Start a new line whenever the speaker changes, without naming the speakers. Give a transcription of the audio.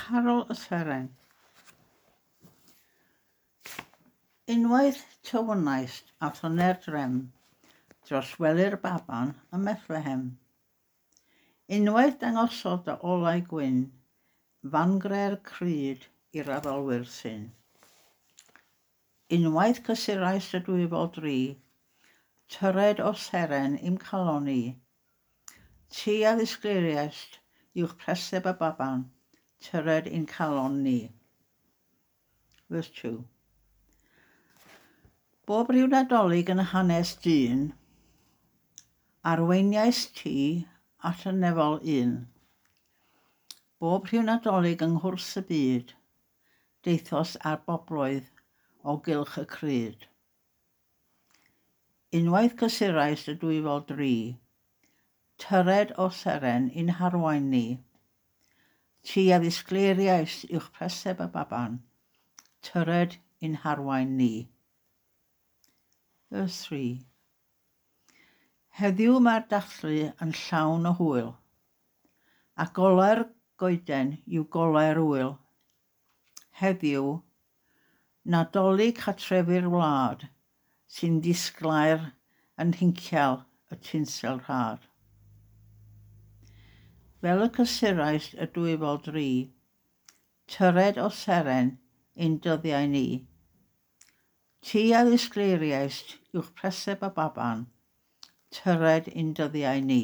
Carol y Seren. Unwaith tywynaist a thyner drem dros wely'r baban ym Methlehem. Unwaith dangosodd dy olau gwyn fangre'r cryd i'r addolwyr syn. Unwaith cysurais y dwyfol dri, tyred o seren i'm calon i. Ti a ddisgleiriaist uwch preseb y baban, tyred i'n calon ni. Verse 2. Bob rhyw Nadolig yn hanes dyn, arweiniais ti at y nefol un. Bob rhyw Nadolig yng nghwrs y byd, deithos ar bobloedd o gylch y cryd. Unwaith cysurais y dwyfol dri, Tyred o seren i'n harwain ni. Ti a ddisgleiriaist uwch preseb y baban, Tyred i'n harwain ni. Verse 3. Heddiw mae'r dathlu yn llawn o hwyl, A golau'r goeden yw golau'r ŵyl. Heddiw, Nadolig cartrefi'r wlad sy'n ddisglair yn nhincial y tinsel rhad. Fel y cysurais y dwyfol dri, tyred o seren ein dyddiau ni. Ti a ddisgleiriaist uwch preseb y baban, tyred ein dyddiau ni.